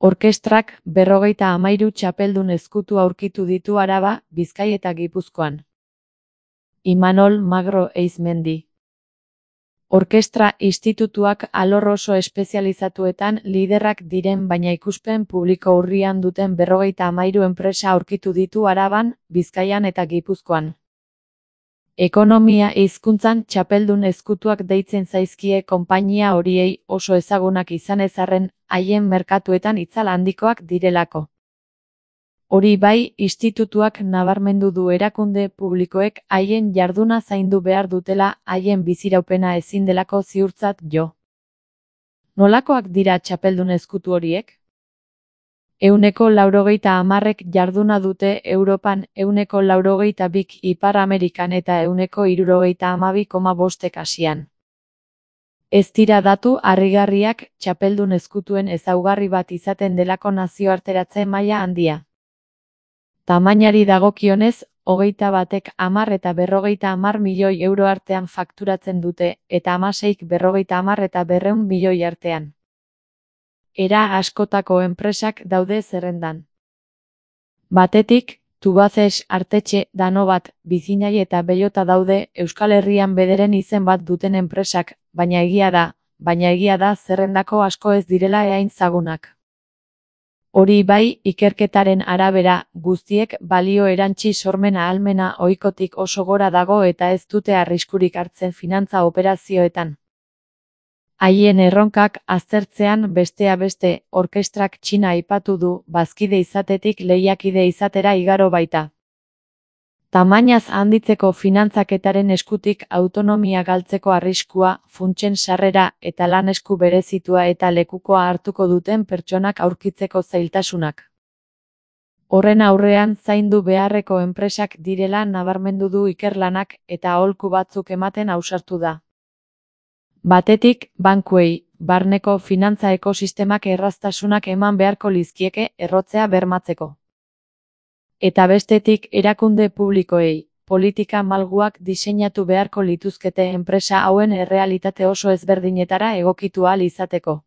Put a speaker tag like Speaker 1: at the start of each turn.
Speaker 1: Orkestrak 53 txapeldun ezkutu aurkitu ditu Araba, Bizkai eta Gipuzkoan. Imanol Magro Eizmendi. Orkestra institutuak alor oso espezializatuetan liderrak diren baina ikuspen publiko urrian duten 53 enpresa aurkitu ditu Araban, Bizkaian eta Gipuzkoan. Ekonomia hizkuntzan txapeldun ezkutuak deitzen zaizkie konpainia horiei oso ezagunak izan ez arren, haien merkatuetan itzal handikoak direlako. Hori bai, institutuak nabarmendu du erakunde publikoek haien jarduna zaindu behar dutela, haien biziraupena ezin delako ziurtzat jo. Nolakoak dira txapeldun ezkutu horiek? 90% jarduna dute Europan, 92% Ipar Amerikan eta 72,5% Asian. Ez dira datu harrigarriak, txapeldun ezkutuen ezaugarri bat izaten delako nazioarteratze maila handia. Tamainari dagokionez, 21ek 10 eta 50 milioi euro artean fakturatzen dute, eta 16k 50 eta 200 milioi artean. Era askotako enpresak daude zerrendan. Batetik, Tubacex, Artetxe, Danobat, Bizinai eta Bellota daude Euskal Herrian bederen izen bat duten enpresak, baina egia da zerrendako asko ez direla hain zagunak. Hori bai, ikerketaren arabera, guztiek balio erantsi sormen ahalmena ohikotik oso gora dago eta ez dute arriskurik hartzen finantza operazioetan. Haien erronkak aztertzean bestea beste, orkestrak Txina aipatu du, bazkide izatetik lehiakide izatera igaro baita. Tamainaz handitzeko finantzaketaren eskutik autonomia galtzeko arriskua, funtsen sarrera eta lan esku berezitua eta lekukoa hartuko duten pertsonak aurkitzeko zailtasunak. Horren aurrean zaindu beharreko enpresak direla nabarmendu du ikerlanak eta aholku batzuk ematen ausartu da. Batetik, bankuei, barneko finantza ekosistemak erraztasunak eman beharko lizkieke errotzea bermatzeko. Eta bestetik, erakunde publikoei, politika malguak diseinatu beharko lituzkete enpresa hauen errealitate oso ezberdinetara egokitu ahal izateko.